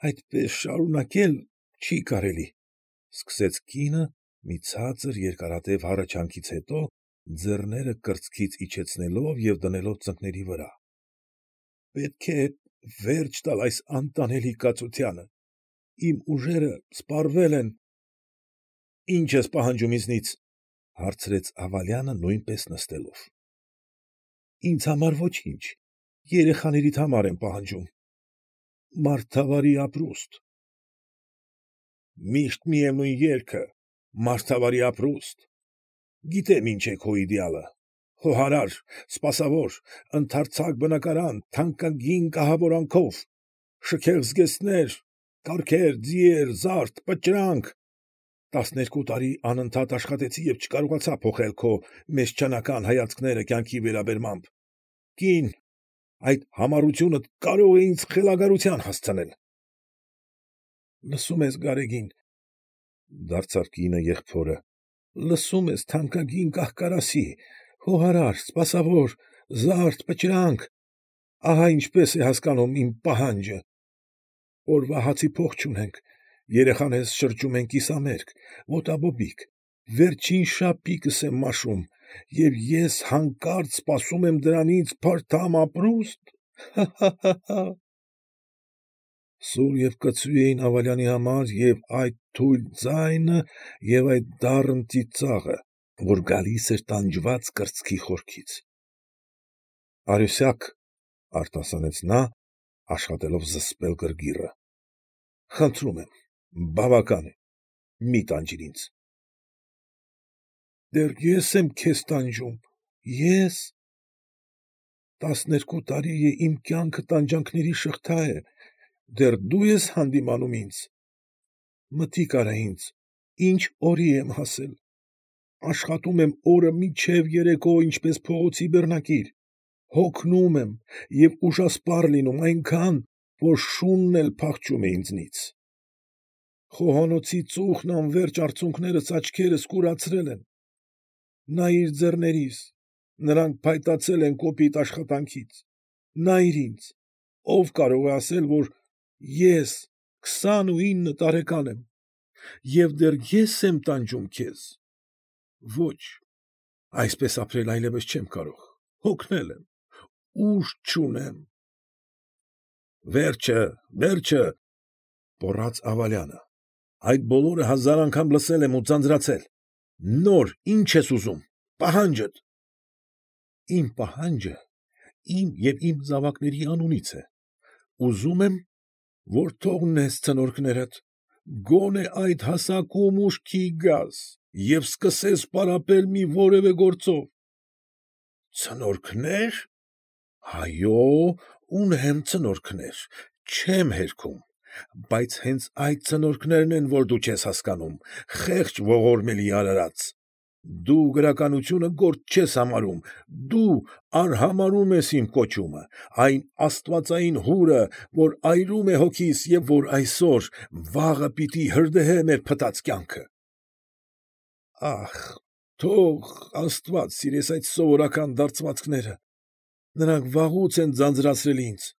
Այդպես շարունակել չի կարելի, ֊ սկսեց կինը մի ցածր երկարատև հառաչանքից հետո, ձեռները կրծքից իջեցնելով և դնելով ծնկների վրա։ ֊ Պետք է վերջ տալ այս անտանելի կացությանը, իմ ուժերը սպառվել են։ ֊ Ի՞նչ ես պահանջում ինձնից, ֊ հարցրեց Աղալյանը նույնպես նստելով։ ֊ Ինձ համար ոչինչ, երեխաներիդ համար եմ պահանջում։ ֊ Մարդավարի ապրուստ։ ֊ Միշտ միևնույն երգը, մարդավարի ապրուստ։ Գիտեմ ինչ է քո իդեալը, խոհարար, սպասավոր, ընդարձակ բնակարան, թանկագին կահավորանքով, շքեղ զգեստներ, կառքեր, ձիեր, զարդ, պճրանք, 12 տարի անընդհատ աշխատեցի և չկարողացա փոխել քո մեզչանական հայացքները կյանքի վերաբերմամբ, կին, այդ համառությունդ կարող է ինձ խելագարության հասցնել։ ֊ Լսում ես, Գարեգին, ֊ դարձավ կինը եղբորը, ֊ լսում ես, թանկագին կահ֊կարասի, խոհարար, սպասավոր, զարդ, պճրանք, ահա ինչպես է հասկանում իմ պահանջը. օրվա հացի փող չունենք, երեխաներս շրջում են կիսամերկ, ոտաբոբիկ, վերջին շապիկս եմ մաշում, և ես հանկարծ սպասում եմ դրանից փարթամ ապրուստ, հա՛֊հա՛֊հա՛։ Սուր և կծու էին Աղալյանի համար և այդ թույլ ձայնը, և այդ դառն ծիծաղը, որ գալիս էր տանջված կրծքի խորքից։ ֊ Արյուսյակ, ֊ արտասանեց նա, աշխատելով զսպել գրգիռը, ֊ խնդրում եմ, բավական է, մի տանջիր ինձ։ ֊ Դեռ ես եմ քեզ տանջում, ե՞ս։ 12 տարի է իմ կյանքը տանջանքների շղթա է, դեռ դու ես հանդիմանում ինձ։ Մտիկ արա ինձ, ինչ օրի եմ հասել, աշխատում եմ օրը մինչև երեկո ինչպես փողոցի բեռնակիր, հոգնում եմ և ուժասպառ լինում այնքան, որ շունն էլ փախչում է ինձնից։ Խոհանոցի ծուխն անվերջ արցունքներս աչքերս կուրացրել են։ Նայիր ձեռներիս, նրանք փայտացել են կոպիտ աշխատանքից, նայիր ինձ, ով կարող է ասել, որ ես 29 տարեկան եմ, և դեռ ես եմ տանջում քեզ։ Ոչ, այսպես ապրել այլևս չեմ կարող, հոգնել եմ, ուժ չունեմ։ ֊ Վերջը, վերջը, ֊ գոռաց Աղալյանը, ֊ այդ բոլորը հազար անգամ լսել եմ ու ձանձրացել, նոր ի՞նչ ես ուզում, պահանջդ։ ֊ Իմ պահանջը իմ և իմ զավակների անունից է, ուզում եմ, որ թողնես ցնորքներդ, գոնե այդ հասակում ուշքի գաս և սկսես պարապել մի որևէ գործով։ ֊ Ցնորքնե՞ր, ֊ այո, ունեմ ցնորքներ, չեմ հերքում, բայց հենց այդ ցնորքներն են, որ դու չես հասկանում, խեղճ ողորմելի արարած, դու գրականությունը գործ չես համարում, դու արհամարհում ես իմ կոչումը, այն աստվածային հուրը, որ այրում է հոգիս և որ այսօր, վաղը պիտի հրդեհե մեր փտած կյանքը։ Ախ, թող աստված սիրես այդ սովորական դարձվածքները, նրանք վաղուց են ձանձրացրել ինձ,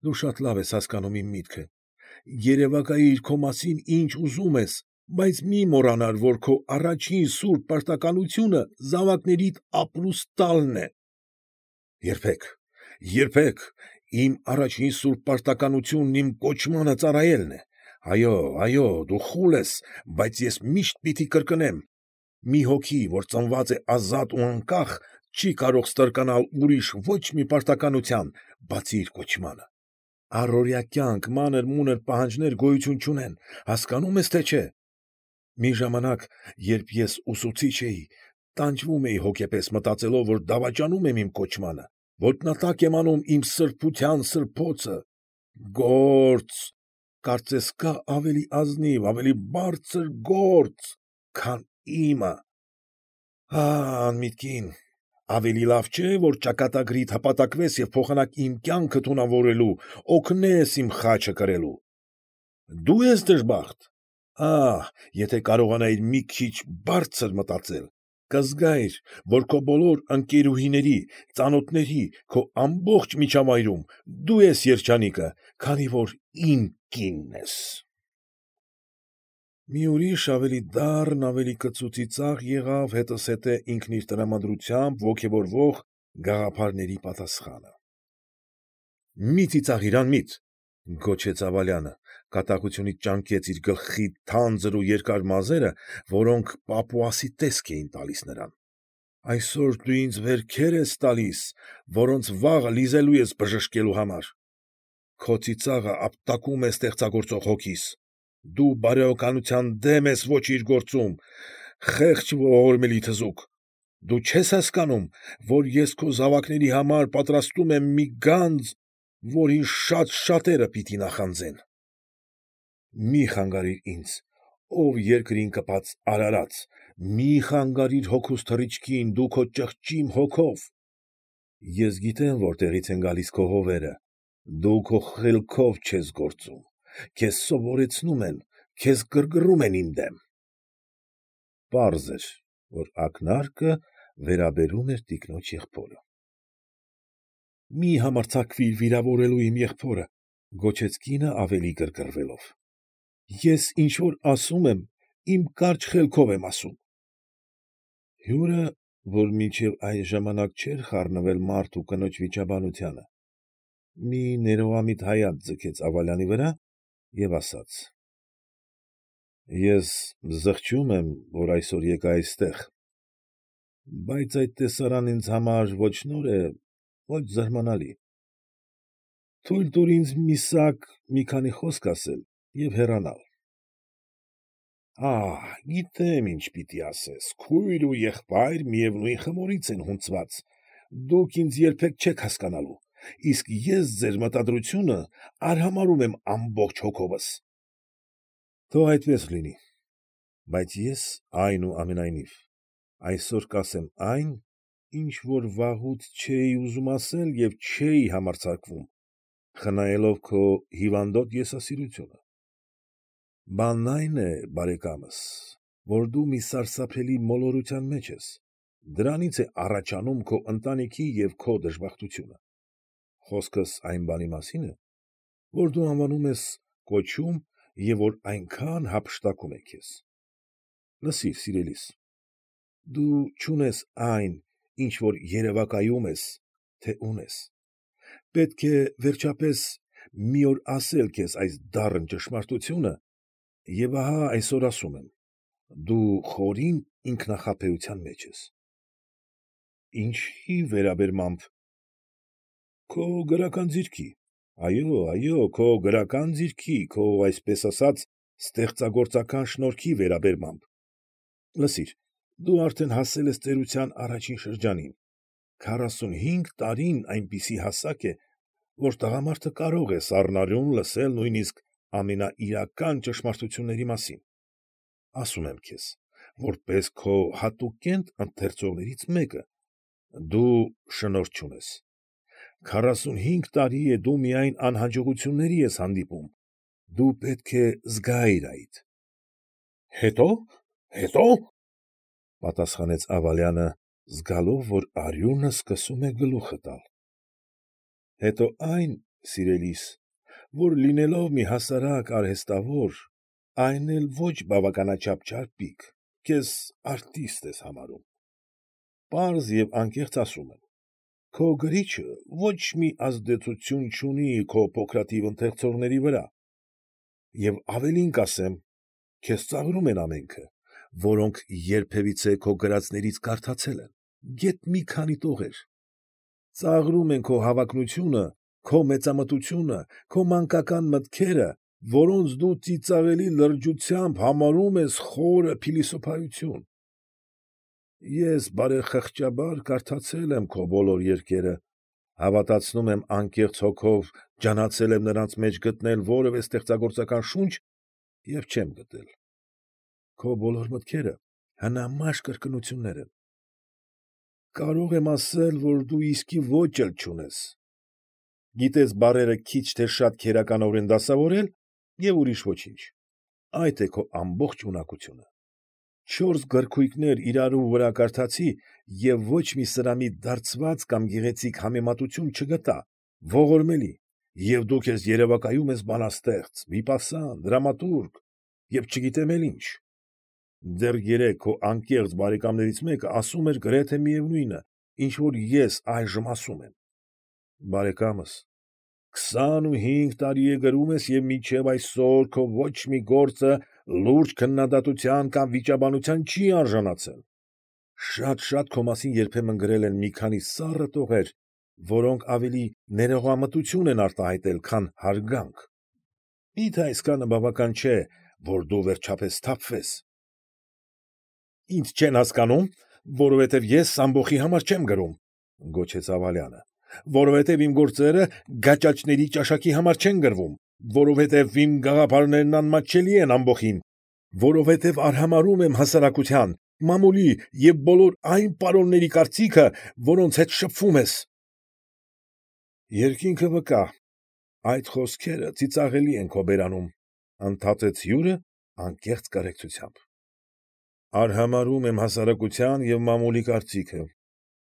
դու շատ լավ ես հասկանում իմ միտքը, երևակայիր քո մասին ինչ ուզում ես, բայց մի մոռանար, որ քո առաջին սուրբ պարտականությունը զավակներիդ ապրուստ տալն է։ ֊ Երբեք, երբեք, իմ առաջին սուրբ պարտականությունն իմ կոչմանը ծառայելն է։ Այո, այո, դու խուլ ես, բայց ես միշտ պիտի կրկնեմ. մի հոգի, որ ծնված է ազատ ու անկախ, չի կարող ստրկանալ ուրիշ ոչ մի պարտականության, բացի իր կոչմանը։ Առօրյա կյանք, մանր֊մունր պահանջներ գոյություն չունեն, հասկանում ես, թե չէ։ Մի ժամանակ, երբ ես ուսուցիչ էի, տանջվում էի հոգեպես մտածելով, որ դավաճանում եմ իմ կոչմանը, ոտնատակ եմ անում իմ սրբության սրբոցը։ Գործ, կարծես կա ավելի ազնիվ, ավելի բարձր գործ, քան իմը։ Անմիտ կին, ավելի լավ չէ, որ ճակատագրիդ հպատակվես և փոխանակ իմ կյանքը թունավորելու, օգնես իմ խաչը կրելու։ Դու ես դժբախտ, ահ, եթե կարողանայիր մի քիչ բարձր մտածել, կզգայիր, որ քո բոլոր ընկերուհիների, ծանոթների, քո ամբողջ միջավայրում դու ես երջանիկը, քանի որ իմ կինն ես։ Մի ուրիշ ավելի դառն, ավելի կծու ծիծաղ եղավ հետզհետե ինքն իր տրամադրությամբ ոգևորվող գաղափարների պատասխանը։ Մի ծիծաղիր, անմիտ, գոչեց Աբալյանը, կատաղությունից ճանկեց իր գլխի թանձր ու երկար մազերը, որոնք պապուասի տեսք էին տալիս նրան։ Այսօր դու ինձ վերքեր ես տալիս, որոնց վաղը լիզելու ես բժշկելու համար։ Քո ծիծաղը ապտակում է ստեղծագործող հոգիս։ Դու բարոյականության դեմ ես ոչիր գործում, խեղճ ողորմելի թզուկ։ Դու չես հասկանում, որ ես քո զավակների համար պատրաստում եմ մի գանձ, որին շատ֊շատերը պիտի նախանձեն։ Մի խանգարիր ինձ, ով երկրին կպած արարած, մի խանգարիր հոգուս թռիչքին դու քո ճղճիմ հոգով։ Ես գիտեմ որտեղից են գալիս քո հովերը, դու քո խելքով չես գործում, քեզ սովորեցնում են, քեզ գրգռում են իմ դեմ։ Պարզ էր, որ ակնարկը վերաբերում էր տիկնոջ եղբորը։ Մի համարձակվիր վիրավորելու իմ եղբորը, գոչեց կինը ավելի գրգռվելով։ Ես ինչ որ ասում եմ, իմ կարճ խելքով եմ ասում։ Հյուրը, որ մինչև այն ժամանակ չէր խառնվել մարդ ու կնոջ վիճաբանությանը, մի ներողամիտ հայացք ձգեց Աբալյանի վրա և ասաց. Ես զղջում եմ, որ այսօր եկա այստեղ, բայց այդ տեսարանն ինձ համար ոչ նոր է, ոչ զարմանալի։ Թույլ տուր ինձ մի քանի խոսք ասել և հեռանալ։ Գիտեմ ինչ պիտի ասես, քույր ու եղբայր միևնույն խմորից են հունցված, դուք ինձ երբեք չեք հասկանալու, իսկ ես ձեր մտադրությունը արհամարհում եմ ամբողջ հոգովս։ Թող այդպես լինի, բայց ես այնուամենայնիվ այսօր կասեմ այն, ինչ որ վաղուց չէի ուզում ասել և չէի համարձակվում, խնայելով քո հիվանդոտ եսասիրությունը։ Բանն այն է, բարեկամս, որ դու մի սարսափելի մոլորության մեջ ես, դրանից է առաջանում քո ընտանիքի և քո դժբախտությունը։ Խոսքս այն բանի մասին է, որ դու անվանում ես կոչում և որ այնքան հափշտակում է քեզ։ Լսիր, սիրելիս, դու չունես այն, ինչ որ երևակայում ես, թե ունես։ Պետք է, վերջապես, մի օր ասել քեզ այս դառն ճշմարտությունը, և ահա այսօր ասում եմ. դու խորին ինքնախաբեության մեջ ես։ Ինչի վերաբերմամբ։ Քո գրական ձիրքի, այո, քո գրական ձիրքի, քո, այսպես ասած, ստեղծագործական շնորհքի վերաբերմամբ։ Լսիր, դու արդեն հասել ես ծերության առաջին շրջանին, 45 տարին այնպիսի հասակ է, որ տղամարդը կարող է սառնարյուն լսել նույնիսկ ամենաիրական ճշմարտությունների մասին։ Ասում եմ քեզ, որպես քո հատուկենտ ընթերցողներից մեկը, դու շնորհ չունես։ 45 տարի է դու միայն անհաջողությունների ես հանդիպում, դու պետք է զգայիր այդ։ Հետո՞, պատասխանեց Աբալյանը, զգալով, որ արյունը սկսում է գլուխը տալ։ Հետո այն, սիրելիս, որ լինելով մի հասարակ արհեստավոր, այն էլ ոչ բավականաչափ չարպիկ, քեզ արտիստ ես համարում։ Պարզ և անկեղծ ասում եմ, քո գրիչը ոչ մի ազդեցություն չունի քո փոքրաթիվ ընթերցողների վրա, և ավելին կասեմ, քեզ ծաղրում են ամենքը, որոնք երբևիցե քո գրածներից կարդացել են, գեթ մի քանի տողեր։ Ծաղրում են քո հավակնությունը, քո մեծամտությունը, քո մանկական մտքերը, որոնց դու ծիծաղելի լրջությամբ համարում ես խորը փիլիսոփայություն։ Ես բարեխղճաբար կարդացել եմ քո բոլոր երգերը, հավատացնում եմ անկեղծ հոգով ջանացել եմ նրանց մեջ գտնել որևէ ստեղծագործական շունչ և չեմ գտել։ Քո բոլոր մտքերը հնամաշ կրկնություններ են։ Կարող եմ ասել, որ դու իսկի ոճ էլ չունես։ Գիտես բառերը քիչ թե շատ քերականորեն դասավորել և ուրիշ ոչինչ։ Այդ է քո ամբողջ ունակությունը։ Չորս գրքույկներ իրարու վրա կարդացի և ոչ մի սրամիտ դարձված կամ գեղեցիկ համեմատություն չգտա, ողորմելի, և դու քեզ երևակայում ես բանաստեղծ, վիպասան, դրամատուրգ և չգիտեմ էլ ինչ. դեռ երեկ քո անկեղծ բարեկամներից մեկը ասում էր գրեթե միևնույնը, ինչ որ ես այժմ ասում եմ։ Բարեկամս, 25 տարի է գրում ես և մինչև այսօր քո ոչ մի գործը լուրջ քննադատության կամ վիճաբանության չի արժանացել։ Շատ քո մասին երբեմն գրել են մի քանի սառը տողեր, որոնք ավելի ներողամտություն են արտահայտել, քան հարգանք։ Մի՞թե այսքանը բավական չէ, որ դու վերջապես սթափվես։ Ինձ չեն հասկանում, որովհետև ես ամբոխի համար չեմ գրում, գոչեց Ավալյանը, որովհետև իմ գործերը գաճաճների ճաշակի համար չեն գրվում, որովհետև իմ գաղափարներն անմատչելի են ամբոխին, որովհետև արհամարհում եմ հասարակության, մամուլի և բոլոր այն պարոնների կարծիքը, որոնց հետ շփվում ես։ Երկինքը վկա, այդ խոսքերը ծիծաղելի են քո բերանում, ընդհատեց հյուրը անկեղծ կարեկցությամբ։ Արհամարհում եմ հասարակության և մամուլի կարծիքը։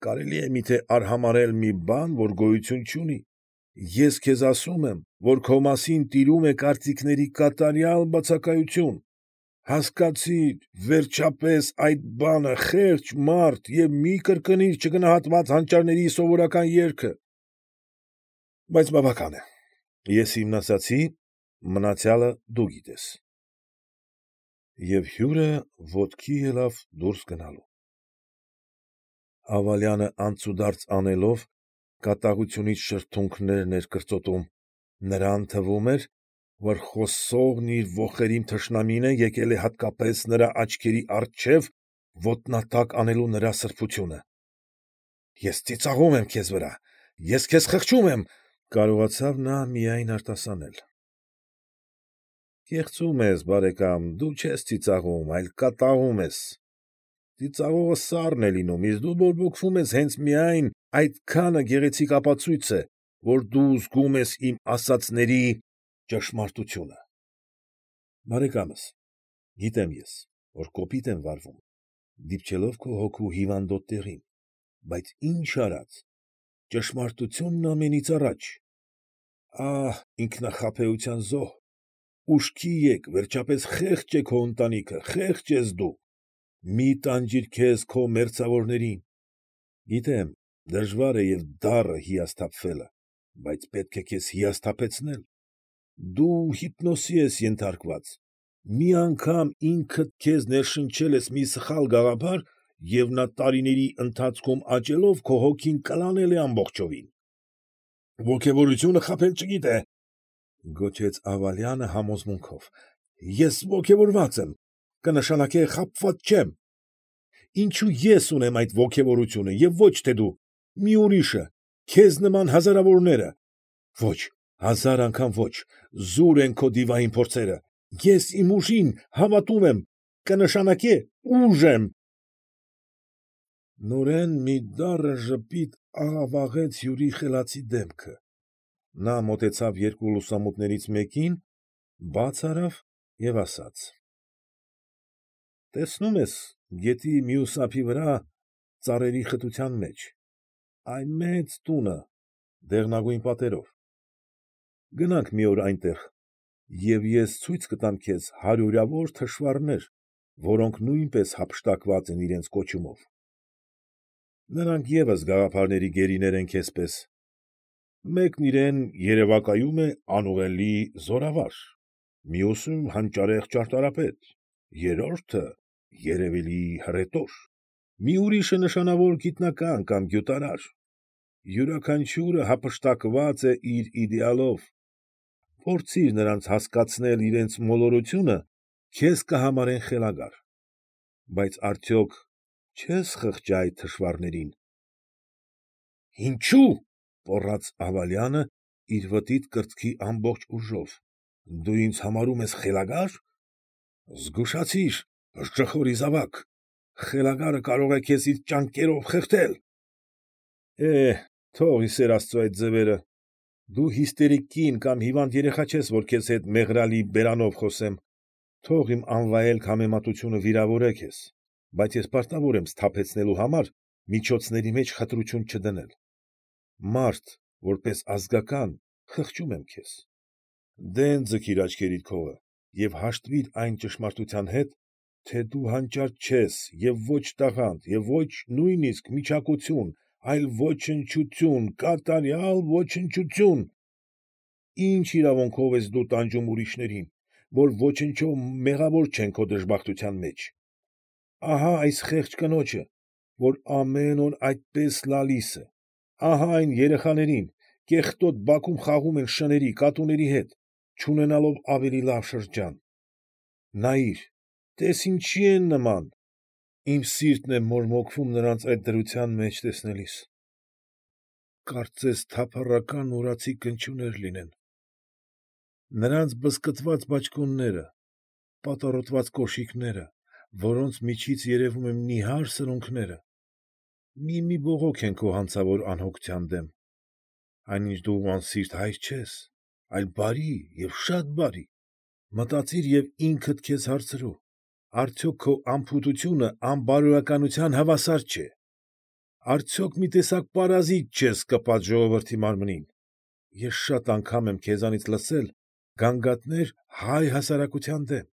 Կարելի է միթե արհամարհել մի բան, որ գոյություն չունի։ Ես քեզ ասում եմ, որ քո մասին տիրում է կարծիքների կատարյալ բացակայություն։ Հասկացի՛ր, վերջապես, այդ բանը խեղճ մարդ և մի կրկնիր չգնահատված հանճարների սովորական երգը։ Բայց բավական է, ես իմն ասացի, մնացյալը դու գիտես։ Եվ հյուրը ոտքի ելավ դուրս գնալու։ Ավալյանը անցուդարձ անելով, կատաղությունից շրթունքներն էր կրծոտում, նրան թվում էր, որ խոսողն իր ոխերիմ թշնամին է եկել է հատկապես նրա աչքերի առջև ոտնատակ անելու նրա սրբությունը։ Ես ծիծաղում եմ քեզ վրա, ես քեզ խղճում եմ, կարողացավ նա միայն արտասանել։ Կեղծում ես, բարեկամ, դու չես ծիծաղում, այլ կատաղում ես։ Ծիծաղողը սառն է լինում, իսկ դու բորբոքվում ես հենց միայն այդքանը գեղեցիկ ապացույց է, որ դու զգում ես իմ ասածների ճշմարտությունը։ Բարեկամս, գիտեմ ես, որ կոպիտ եմ վարվում, դիպչելով քո հոգու հիվանդոտ տեղին, բայց ինչ արած, ճշմարտությունն ամենից առաջ։ Ահ, ինքնախաբեության զոհ, ուշքի եկ, վերջապես խեղճ է քո ընտանիքը, խեղճ ես դու, մի տանջիր քեզ քո մերձավորներին։ Գիտեմ, դժվար է և դառը հիասթափվելը, բայց պետք է քեզ հիասթափեցնել։ Դու հիպնոսի ես ենթարկված, մի անգամ ինքդ քեզ ներշնչել ես մի սխալ գաղափար, և նա տարիների ընթացքում աճելով քո հոգին կլանել է ամբողջովին։ Ոգևորությունը խաբել չգիտե, գոչեց Ավալյանը համոզմունքով, ես ոգևորված եմ, կնշանակե խաբված չեմ։ Ինչո՞ւ ես ունեմ այդ ոգևորությունը և ոչ թե դու, մի ուրիշը, քեզ նման հազարավորները։ Ոչ, հազար անգամ ոչ, զուր են քո դիվային փորձերը, ես իմ ուժին հավատում եմ, կնշանակե ուժ եմ։ Նորեն մի դառը ժպիտ աղավաղեց հյուրի խելացի դեմքը։ Նա մոտեցավ երկու լուսամուտներից մեկին, բաց արավ և ասաց. Տեսնում ես գետի մյուս ափի վրա, ծառերի խտության մեջ, այն մեծ տունը, դեղնագույն պատերով։ Գնանք մի օր այնտեղ, և ես ցույց կտամ քեզ հարյուրավոր թշվառներ, որոնք նույնպես հափշտակված են իրենց կոչումով։ Նրանք ևս գաղափարների գերիներ են քեզպես։ Մեկն իրեն երևակայում է անուղելի զորավար, մյուսը հանճարեղ ճարտարապետ, երրորդը երևելի հռետոր, մի ուրիշը նշանավոր գիտնական կամ գյուտարար։ Յուրաքանչյուրը հափշտակված է իր իդեալով։ Փորձիր նրանց հասկացնել իրենց մոլորությունը, քեզ կհամարեն խելագար։ Բայց արդյոք չե՞ս խղճա այդ թշվառներին։ Ինչո՞ւ, պառաց Ավալյանը իր վտիտ կրծքի ամբողջ ուժով, դու ինձ համարում ես խելագա՞ր։ Զգուշացիր, ժխորի զավակ, խելագարը կարող է քեզ իր ճանկերով խեղդել։ Թող ի սեր Աստծու այդ ձևերը, դու հիստերիկ կին կամ հիվանդ երեխա չես, որ քեզ հետ մեղրալի բերանով խոսեմ։ Թող իմ անվայել համեմատությունը վիրավորե քեզ, բայց ես պարտավոր եմ սթափեցնելու համար միջոցների մեջ խտրություն չդնել։ Մարդ, որպես ազգական, խղճում եմ քեզ։ Դեն ձգիր աչքերիդ քովը և հաշտվիր այն ճշմարտության հետ, թե դու հանճարդ չես և ոչ տաղանդ և ոչ նույնիսկ միչակություն, այլ ոչնչություն, կատարյալ ոչնչություն։ Ի՞նչ իրավունքով ես դու տանջում ուրիշներին, որ ոչնչով մեղավոր չեն քո դժբախտության մեջ։ Ահա այս խեղճ կնոջը, որ ամեն օր այդպես լալիս է, ահա այն երեխաներին, կեղտոտ բակում խաղում են շների, կատուների հետ, չունենալով ավելի լավ շրջան։ Նայիր, տես ինչի են նման, իմ սիրտն է մորմոքվում նրանց այդ դրության մեջ տեսնելիս։ Կարծես թափառական ուրացի կնճուղներ լինեն։ Նրանց բզկտված բաճկոնները, պատառոտված կոշիկները, որոնց միջից երևում են նիհար սրունքները, մի բողոք են քո հանցավոր անհոգության դեմ, այնինչ դու անսիրտ հայր չես, այլ բարի և շատ բարի։ Մտածիր և ինքդ քեզ հարցրու. արդյոք քո անփութությունը անբարոյականության հավասար չէ։ Արդյոք մի տեսակ պարազիտ չես կպած ժողովրդի մարմնին։ Ես շատ անգամ եմ քեզանից լսել գանգատներ հայ հասարակության դեմ։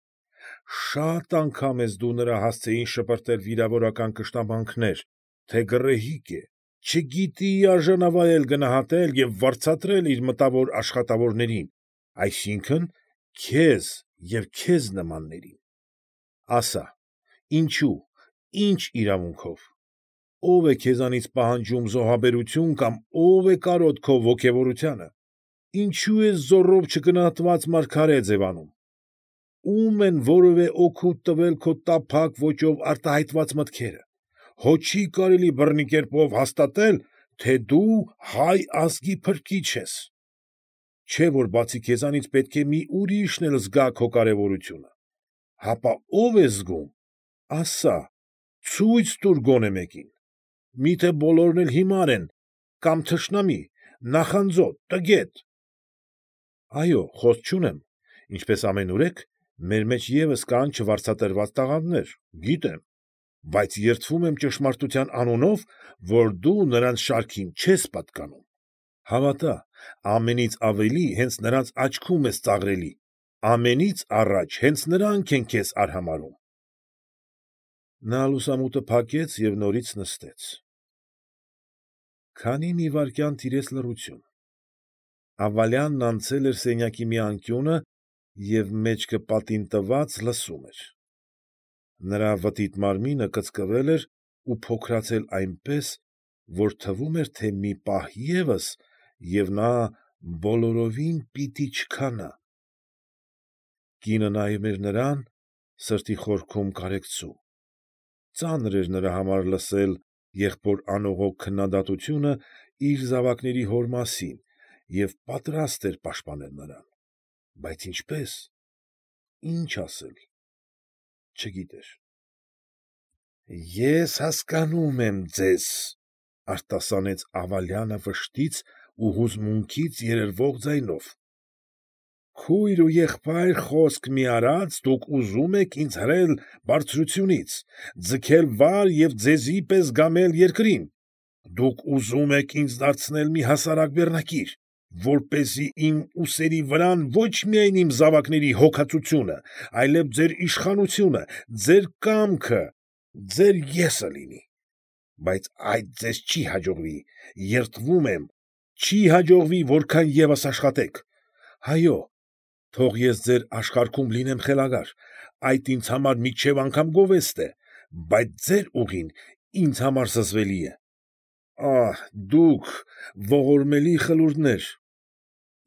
Շատ անգամ ես դու նրա հասցեին շպրտել վիրավորական կշտամբանքներ, թե գռեհիկ է, չգիտի արժանավայել գնահատել և վարձատրել իր մտավոր աշխատավորներին, այսինքն՝ քեզ և քեզ նմաններին։ Ասա, ինչո՞ւ, ի՞նչ իրավունքով։ Ո՞վ է քեզանից պահանջում զոհաբերություն կամ ո՞վ է կարոտ քո ոգևորությանը։ Ինչո՞ւ ես զոռով չգնահատված մարգարե ձևանում։ Ո՞ւմ են որևէ օգուտ տվել քո տափակ ոճով արտահայտված մտքերը։ Հո չի կարելի բռնի կերպով հաստատել, թե դու հայ ազգի փրկիչ ես։ Չէ՞ որ բացի քեզանից պետք է մի ուրիշն էլ զգա քո կարևորությունը։ Հապա ո՞վ է զգում, ասա, ցույց տուր գոնե մեկին։ Մի՞թե բոլորն էլ հիմար են, կամ թշնամի, նախանձոտ, տգետ։ Այո, խոսք չունեմ, ինչպես ամենուրեք, մեր մեջ ևս կան չվարձատրված տաղանդներ, գիտեմ, բայց երդվում եմ ճշմարտության անունով, որ դու նրանց շարքին չես պատկանում։ Հավատա, ամենից ավելի հենց նրանց աչքում ես ծաղրելի, ամենից առաջ հենց նրանք են քեզ արհամարհում։ Նա լուսամուտը փակեց և նորից նստեց։ Քանի մի վայրկյան տիրեց լռություն։ Աղվալյանն անցել էր սենյակի մի անկյունը և մեջքը պատին տված լսում էր։ Նրա վտիտ մարմինը կծկվել էր ու փոքրացել այնպես, որ թվում էր, թե մի պահ ևս, և նա բոլորովին պիտի չքանա։ Կինը նայում էր նրան, սրտի խորքում կարեկցում։ Ծանր էր նրա համար լսել եղբոր անողոք քննադատությունը իր զավակների հոր մասին և պատրաստ էր պաշտպանել նրան, բայց ինչպե՞ս, ի՞նչ ասել, չգիտեր։ Ես հասկանում եմ ձեզ, ֊ արտասանեց Աղվալյանը վշտից ու հուզմունքից երերվող ձայնով։ Քույր ու եղբայր խոսք մի արած դուք ուզում եք ինձ հրել բարձրությունից, ձգել վար և ձեզի պես գամել երկրին։ Դուք ուզում եք ինձ դարձնել մի հասարակ բեռնակիր, որպեսզի իմ ուսերի վրան ոչ միայն իմ զավակների հոգածությունը, այլև ձեր իշխանությունը, ձեր կամքը, ձեր ես֊ը լինի։ Բայց այդ ձեզ չի հաջողվի, երդվում եմ, չի հաջողվի որքան ևս աշխատեք։ Այո, թող ես ձեր աշխարհքում լինեմ խելագար, այդ ինձ համար մինչև անգամ գովեստ է, բայց ձեր ուղին ինձ համար զզվելի է։ Ահ, դուք, ողորմելի խլուրդներ,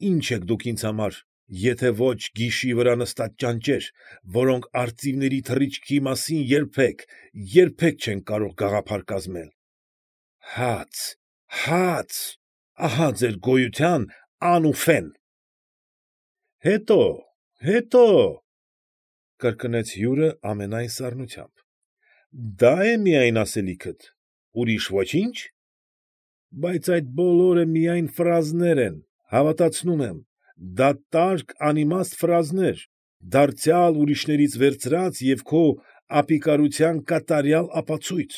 ի՞նչ եք դուք ինձ համար, եթե ոչ գիշի վրա նստած ճանճեր, որոնք արծիվների թռիչքի մասին երբեք չեն կարող գաղափար կազմել։ Հաց, հաց, ահա ձեր գոյության ան ու ֆեն։ Հետո, հետո, ֊ կրկնեց հյուրը ամենայն սառնությամբ, ֊ դա՞ է միայն ասելիքդ, ուրիշ ոչի՞նչ։ Բայց այդ բոլորը միայն ֆրազներ են, հավատացնում եմ, դատարկ անիմաստ ֆրազներ, դարձյալ ուրիշներից վերցրած և քո ապիկարության կատարյալ ապացույց։